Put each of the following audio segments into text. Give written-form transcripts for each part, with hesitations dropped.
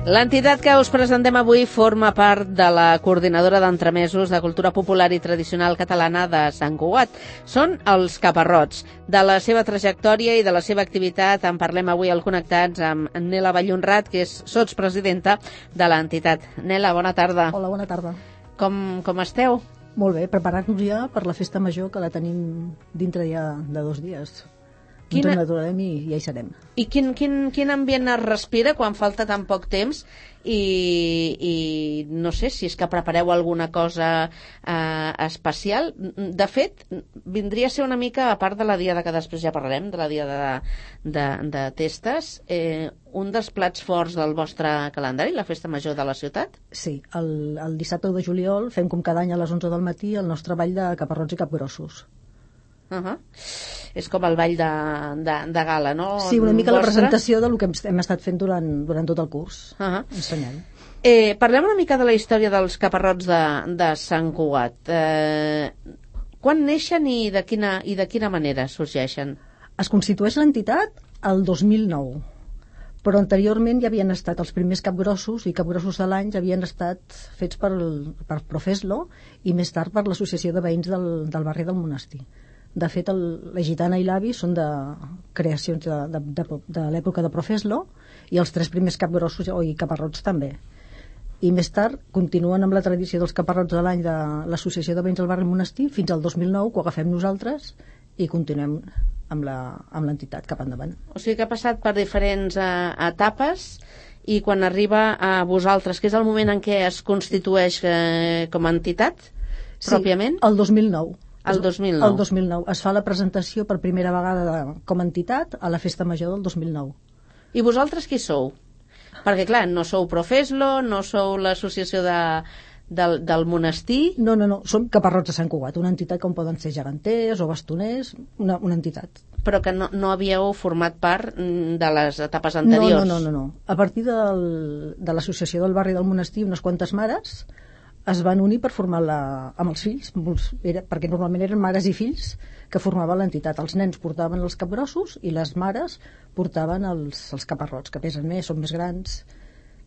L'entitat que us presentem avui forma part de la Coordinadora d'Entremesos de Cultura Popular i Tradicional Catalana de Sant Cugat. Són els Caparrots. De la seva trajectòria i de la seva activitat en parlem avui al Connectats amb Nela Vallhonrat, que és sotspresidenta de l'entitat. Nela, bona tarda. Hola, bona tarda. Com esteu? Molt bé, preparant-nos ja per la festa major, que la tenim dintre ja de 2 dies. Ens n'adorarem i ja hi serem. I quin ambient es respira quan falta tan poc temps i no sé si és que prepareu alguna cosa especial. De fet, vindria a ser una mica, a part de la diada que després ja parlarem, de la diada de testes, un dels plats forts del vostre calendari, la festa major de la ciutat? Sí, el dissabte de juliol fem com cada any a les 11 del matí el nostre ball de caparrots i capgrossos. És com el ball de gala, no? Sí, una mica la presentació del que hem estat fent durant tot el curs, ensenyant. Parlem una mica de la història dels caparrots de Sant Cugat. Quan neixen i de quina manera sorgeixen? Es constitueix l'entitat el 2009, però anteriorment ja havien estat els primers capgrossos i capgrossos de l'any, havien estat fets per Profeslo i més tard per l'Associació de Veïns del barri del Monestir. De fet, la Gitana i l'Avi són de creacions de l'època de Profeslo i els 3 primers capgrossos i caparrots també. I més tard continuen amb la tradició dels caparrots de l'any de l'Associació de Veïns del barri Monestir fins al 2009, que ho agafem nosaltres i continuem amb l'entitat cap endavant. O sigui que ha passat per diferents etapes i quan arriba a vosaltres, que és el moment en què es constitueix com a entitat, pròpiament? Sí, el 2009. El 2009. El 2009. Es fa la presentació per primera vegada com a entitat a la festa major del 2009. I vosaltres qui sou? Perquè, clar, no sou Profeslo, no sou l'associació del monestir... No, som Caparrots de Sant Cugat, una entitat com poden ser geganters o bastoners, una entitat. Però que no havíeu format part de les etapes anteriors? No. A partir de l'associació del barri del Monestir, unes quantes mares es van unir per formar-la amb els fills, perquè normalment eren mares i fills que formaven l'entitat. Els nens portaven els capgrossos i les mares portaven els caparrots, que pesen més, són més grans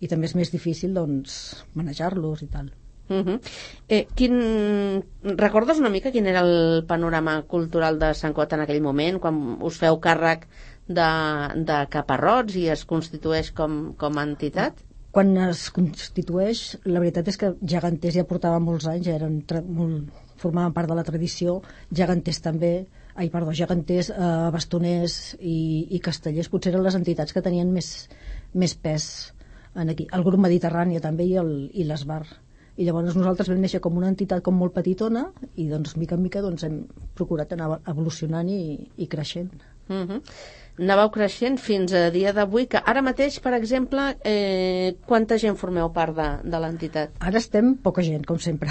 i també és més difícil manejar-los i tal. Recordes una mica quin era el panorama cultural de Sant Cugat en aquell moment, quan us feu càrrec de caparrots i es constitueix com a entitat? Quan es constitueix, la veritat és que geganters ja portaven molts anys, formaven part de la tradició, geganters també, geganters, bastoners i castellers, potser eren les entitats que tenien més pes aquí. El grup Mediterrània també i l'Esbar. I llavors nosaltres vam néixer com una entitat molt petitona i mica en mica hem procurat anar evolucionant i creixent. Anàveu creixent fins a dia d'avui, que ara mateix, per exemple, quanta gent formeu part de l'entitat? Ara estem poca gent, com sempre,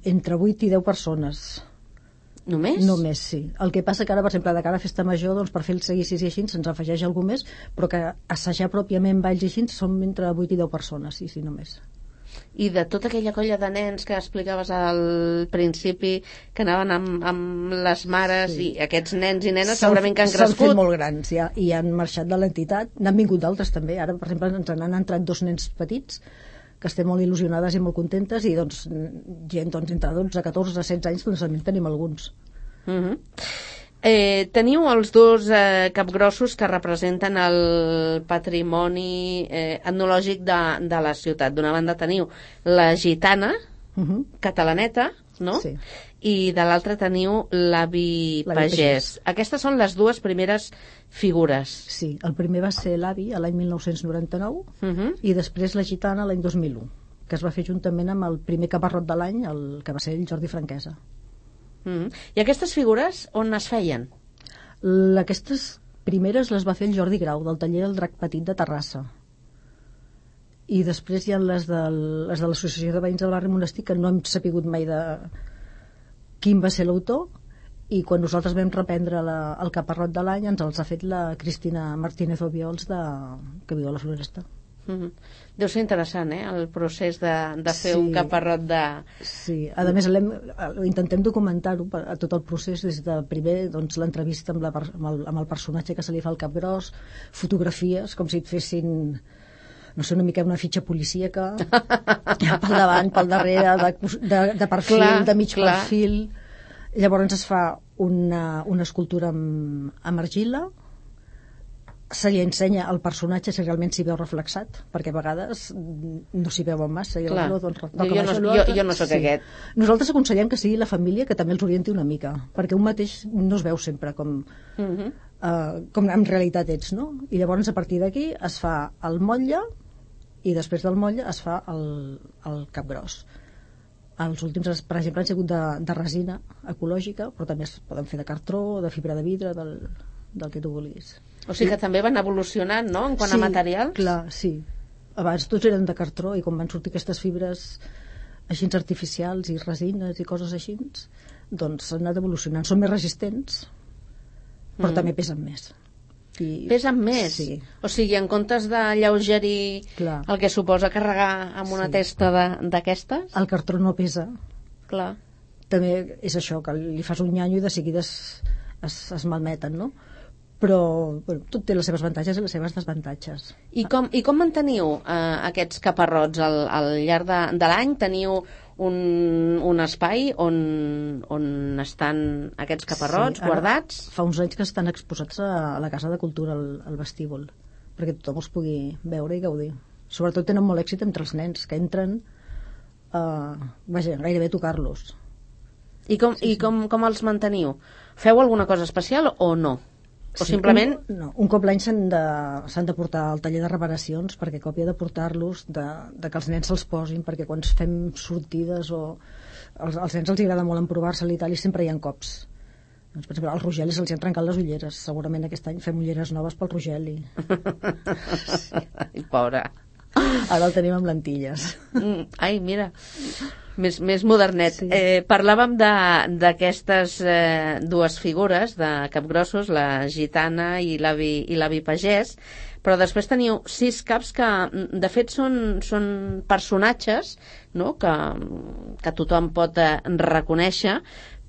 entre 8 i 10 persones. Només? Només, sí. El que passa que ara, per exemple, de cara a festa major, per fer els seguicis i així, se'ns afegeix algú més, però que assajar pròpiament balls i així som entre 8 i 10 persones, sí, només. I de tota aquella colla de nens que explicaves al principi, que anaven amb les mares, sí. I aquests nens i nenes segurament que han crescut. S'han fet molt grans ja, i han marxat de l'entitat. N'han vingut d'altres també. Ara, per exemple, ens han entrat 2 nens petits que estem molt il·lusionades i molt contentes i gent entre 12, 14, 16 anys també en tenim alguns. Teniu els 2 capgrossos que representen el patrimoni etnològic de la ciutat. D'una banda teniu la gitana catalaneta, no? Sí. I de l'altra teniu l'avi pagès. Aquestes són les 2 primeres figures. Sí, el primer va ser l'avi a l'any 1999 i després la gitana l'any 2001, que es va fer juntament amb el primer caparrot de l'any, el que va ser el Jordi Franquesa. I aquestes figures on es feien? Aquestes primeres les va fer el Jordi Grau, del taller del Drac Petit de Terrassa. I després hi ha les de l'Associació de Veïns del barri Monestir, que no hem sapigut mai de quin va ser l'autor, i quan nosaltres vam reprendre el caparrot de l'any ens els ha fet la Cristina Martínez Obiols, que viu a la Floresta. Deu ser interessant, el procés de fer un caparrot de... Sí, a més intentem documentar-ho a tot el procés, des de primer l'entrevista amb el personatge que se li fa el capgròs, fotografies com si et fessin no sé, una mica una fitxa policíaca, pel davant, pel darrere, de perfil, de mig perfil. Llavors es fa una escultura amb argila, se li ensenya al personatge si realment s'hi veu reflexat, perquè a vegades no s'hi veuen massa. I Clar. doncs, jo no sóc aquest. Nosaltres aconsellem que sigui la família que també els orienti una mica, perquè un mateix no es veu sempre com en realitat ets, no? I llavors a partir d'aquí es fa el motlle i després del motlle es fa el capgròs. Els últims, per exemple, han sigut de resina ecològica, però també es poden fer de cartró, de fibra de vidre, del que tu vulguis. O sigui que també van evolucionant, no?, en quant a materials? Clar, sí. Abans tots eren de cartró i quan van sortir aquestes fibres així artificials i resines i coses així, doncs s'han anat evolucionant. Són més resistents, però també pesen més. Pesen més? Sí. O sigui, en comptes de lleugerir el que suposa carregar amb una testa d'aquestes? El cartró no pesa. Clar. També és això, que li fas un nyanyo i de seguida es malmeten, no? Però tot té les seves avantatges i les seves desavantatges. I com manteniu aquests caparrots al llarg de l'any? Teniu un espai on estan aquests caparrots guardats? Fa uns anys que estan exposats a la Casa de Cultura, al vestíbul, perquè tothom els pugui veure i gaudir. Sobretot tenen molt èxit entre els nens, que entren gairebé a tocar-los. I com els manteniu? Feu alguna cosa especial o no? O simplement... Un cop l'any s'han de portar al taller de reparacions, perquè a còpia de portar-los, de que els nens se'ls posin, perquè quan fem sortides o als nens els agrada molt emprovar-se-li i tal, i sempre hi ha cops. Doncs, per exemple, als Rogeli se'ls han trencat les ulleres. Segurament aquest any fem ulleres noves pel Rogeli. Ai, pobre. Ara el tenim amb lentilles. Ai, mira, més modernet. Sí. Parlàvem d'aquestes dues figures de capgrossos, la gitana i l'avi pagès, però després teniu 6 caps que, de fet, són personatges, no?, que tothom pot reconèixer,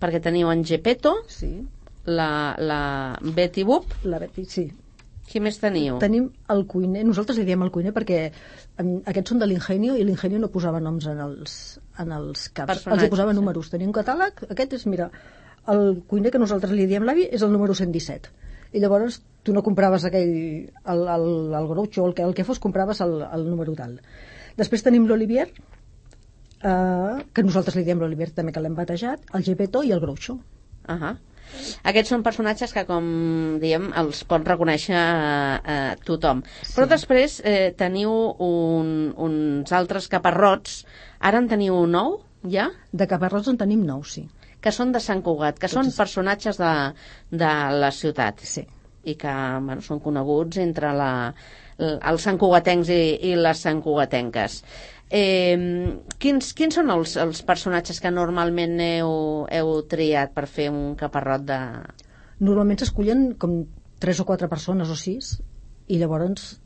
perquè teniu en Geppetto, sí, la Betty Boop. La Betty, sí. Qui més teniu? Tenim el cuiner, nosaltres li diem el cuiner perquè aquests són de l'Ingenio i l'Ingenio no posava noms en els caps, els hi posava números. Tenia un catàleg, aquest és, mira, el cuiner que nosaltres li diem l'avi és el número 117. I llavors tu no compraves el groucho o el que fos, compraves el número tal. Després tenim l'Olivier, que nosaltres li diem l'Olivier també, que l'hem batejat, el Geppetto i el groucho. Aquests són personatges que, com diem, els pot reconèixer tothom. Sí. Però després teniu uns altres caparrots. Ara en teniu 9, ja? De caparrots en tenim 9, sí. Que són de Sant Cugat, que són personatges de la ciutat. Sí. I que són coneguts entre els santcugatencs i les santcugatenques. Quins són els personatges que normalment heu triat per fer un caparrot de... Normalment s'escullen com 3 o 4 persones o 6 i llavors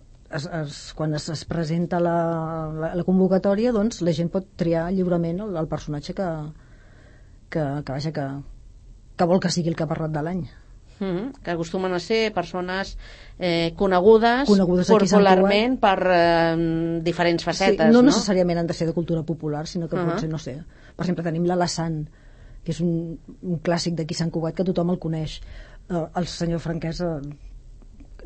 quan es presenta la convocatòria, doncs la gent pot triar lliurement el personatge que vol que sigui el caparrot de l'any. Que acostumen a ser persones conegudes popularment per diferents facetes, sí, no necessàriament han de ser de cultura popular, sinó que pot ser, no sé, per exemple tenim l'Alassane, que és un clàssic d'aquí Sant Cugat que tothom el coneix, el senyor Franquesa,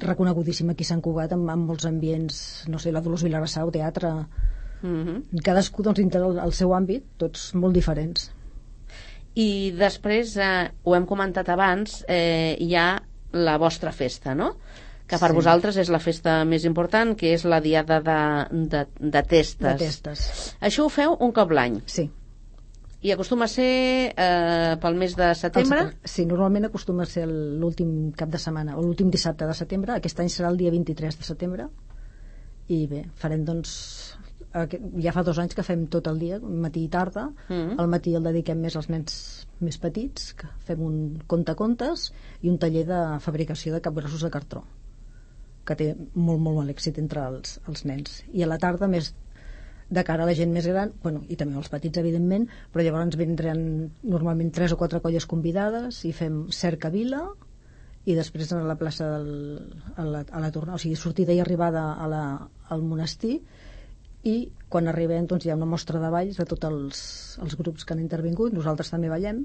reconegudíssim aquí a Sant Cugat, amb molts ambients, no sé, la Dolors Vilagrassa o teatre, cadascú doncs dintre el seu àmbit, tots molt diferents. I després, ho hem comentat abans, hi ha la vostra festa, no?, que per vosaltres és la festa més important, que és la diada de Testes. De Testes. Això ho feu un cop l'any? Sí. I acostuma a ser pel mes de setembre? Sí, normalment acostuma a ser l'últim cap de setmana, o l'últim dissabte de setembre. Aquest any serà el dia 23 de setembre. I bé, farem doncs... Ja fa 2 anys que fem tot el dia, matí i tarda. Al matí el dediquem més als nens més petits, que fem un contacontes i un taller de fabricació de capgrossos de cartró, que té molt, molt èxit entre els nens. I a la tarda, més de cara a la gent més gran, bueno, i també als petits, evidentment, però llavors vindran normalment 3 o 4 colles convidades i fem cerca vila i després a la plaça a la tornada, o sigui, sortida i arribada a al monestir, i quan arribem doncs, hi ha una mostra de balls de tots els grups que han intervingut, nosaltres també ballem,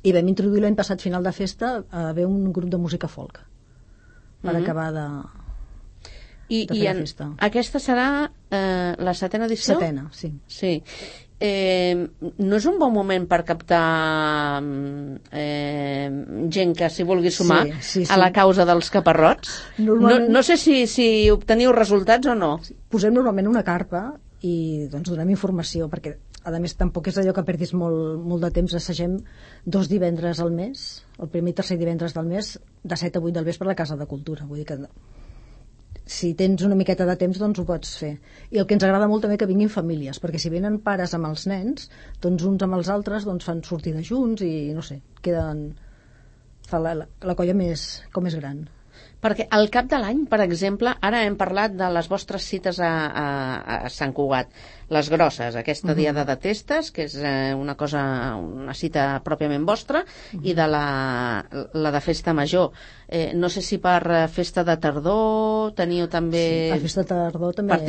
i vam introduir l'any passat final de festa a haver un grup de música folk per acabar de fer la festa. Aquesta serà la 7ª edició? 7ª, sí. Sí. No és un bon moment per captar gent que s'hi vulgui sumar a la causa dels caparrots? No sé si obteniu resultats o no. Posem normalment una carpa i doncs donem informació, perquè a més tampoc és allò que perdis molt de temps. Assagem 2 divendres al mes, el primer i tercer divendres del mes, de 7 a 8 del vespre a la Casa de Cultura. Vull dir que si tens una miqueta de temps, doncs ho pots fer. I el que ens agrada molt també que vinguin famílies, perquè si venen pares amb els nens, doncs uns amb els altres doncs fan sortida junts i no sé, fa la colla com més gran. Perquè al cap de l'any, per exemple, ara hem parlat de les vostres cites a Sant Cugat, les grosses, aquesta diada de testes, que és una cita pròpiament vostra, i de la de festa major. No sé si per festa de tardor teniu també... Sí, a festa de tardor també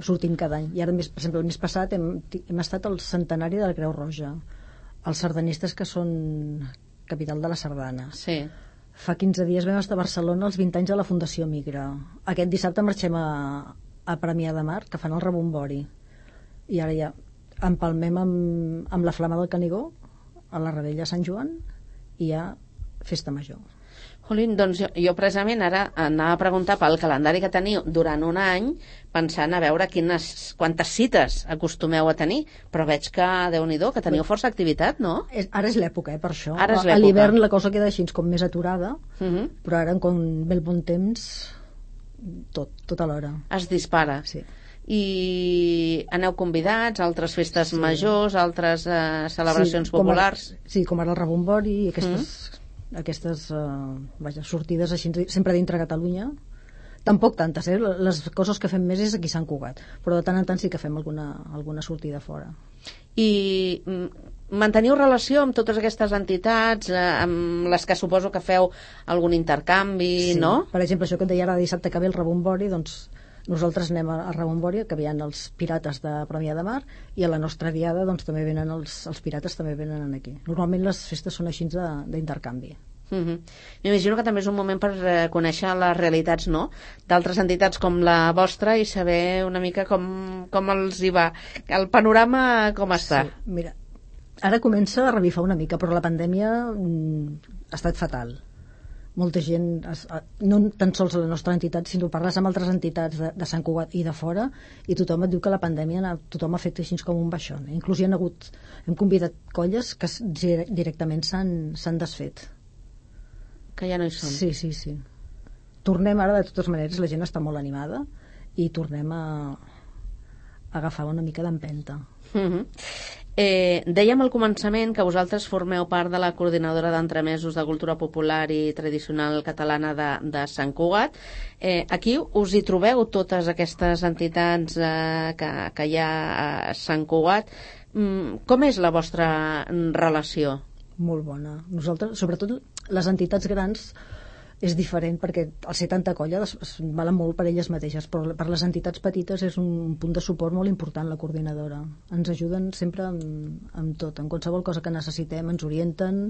sortim cada any. I ara, per exemple, el mes passat hem estat al centenari de la Creu Roja, els sardanistes que són capital de la sardana. Sí. Fa 15 dies vam estar a Barcelona els 20 anys de la Fundació Migra. Aquest dissabte marxem a Premià de Mar, que fan el rebombori. I ara ja empalmem amb la Flama del Canigó, a la Rebella de Sant Joan, i hi ha Festa Major. Jolín, doncs jo precisament ara anava a preguntar pel calendari que teniu durant un any, pensant a veure quantes cites acostumeu a tenir, però veig que, Déu-n'hi-do, que teniu força activitat, no? Ara és l'època, per això. Ara és l'època. A l'hivern la cosa queda així com més aturada, però ara, quan ve el bon temps, tot alhora. Es dispara. Sí. I aneu convidats a altres festes majors, altres celebracions populars? Sí, com ara el rebombori i aquestes sortides així, sempre dintre Catalunya. Tampoc tantes, les coses que fem més és aquí a Sant Cugat, però de tant en tant sí que fem alguna sortida fora. I manteniu relació amb totes aquestes entitats, amb les que suposo que feu algun intercanvi, no? Per exemple, això que et deia ara dissabte que ve el rebombori, doncs nosaltres anem a rebombori, que venen els pirates de Premià de Mar, i a la nostra diada doncs també venen els pirates, també venen aquí. Normalment les festes són així d'intercanvi. M'imagino que també és un moment per conèixer les realitats, no?, d'altres entitats com la vostra i saber una mica com els hi va, el panorama com està. Sí, mira, ara comença a revifar una mica, però la pandèmia ha estat fatal. Molta gent, no tan sols a la nostra entitat, sinó parles amb altres entitats de Sant Cugat i de fora, i tothom et diu que la pandèmia tothom ha fet així com un baixón. Inclús hem convidat colles que directament s'han desfet. Que ja no hi són. Sí. Tornem ara, de totes maneres, la gent està molt animada i tornem a agafar una mica d'empenta. Dèiem al començament que vosaltres formeu part de la coordinadora d'entremesos de cultura popular i tradicional catalana de Sant Cugat. Aquí us hi trobeu totes aquestes entitats que hi ha a Sant Cugat. Com és la vostra relació? Molt bona. Nosaltres, sobretot les entitats grans, és diferent perquè al ser tanta colla valen molt per elles mateixes, però per les entitats petites és un punt de suport molt important la coordinadora. Ens ajuden sempre amb tot, en qualsevol cosa que necessitem ens orienten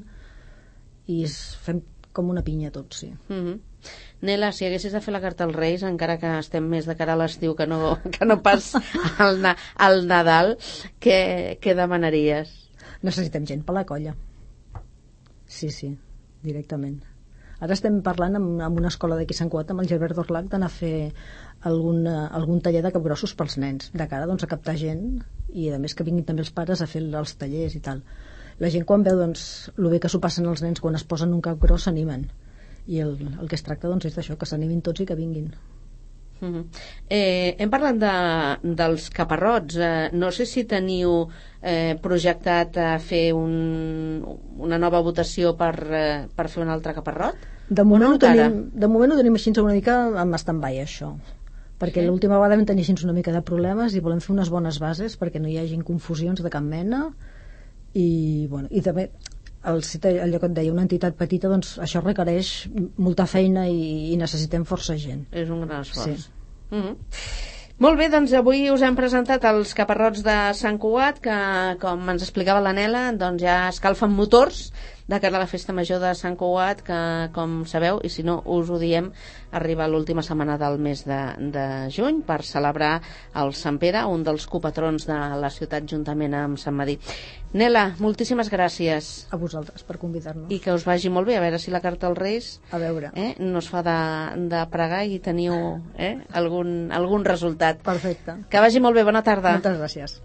i fem com una pinya tots, sí. Nela, si haguessis de fer la carta als Reis, encara que estem més de cara a l'estiu que no pas al Nadal, què demanaries? Necessitem gent per la colla. Sí, directament. Ara estem parlant amb una escola d'aquí a Sant Cugat, amb el Gilbert Dorlac, d'anar a fer algun taller de capgrossos pels nens, de cara doncs, a captar gent, i a més que vinguin també els pares a fer els tallers i tal. La gent quan veu doncs, el bé que s'ho passen els nens quan es posen un capgros s'animen, i el que es tracta doncs, és d'això, que s'animin tots i que vinguin. Hem parlat dels caparrots. No sé si teniu projectat fer una nova votació per fer un altre caparrot. De moment ho tenim així una mica amb stand-by, això, perquè l'última vegada vam tenir així una mica de problemes i volem fer unes bones bases perquè no hi hagi confusions de cap mena i també allò que et deia, una entitat petita, doncs això requereix molta feina i necessitem força gent. És un gran esforç. Sí. Molt bé, doncs avui us hem presentat els caparrots de Sant Cugat, que, com ens explicava la Nela, doncs ja escalfen motors de cara a la festa major de Sant Cugat, que, com sabeu, i si no us ho diem, arriba l'última setmana del mes de juny per celebrar el Sant Pere, un dels copatrons de la ciutat, juntament amb Sant Madí. Nela, moltíssimes gràcies. A vosaltres per convidar-nos. I que us vagi molt bé, a veure si la carta als Reis A veure. no es fa de pregar i teniu algun resultat. Perfecte. Que vagi molt bé, bona tarda. Moltes gràcies.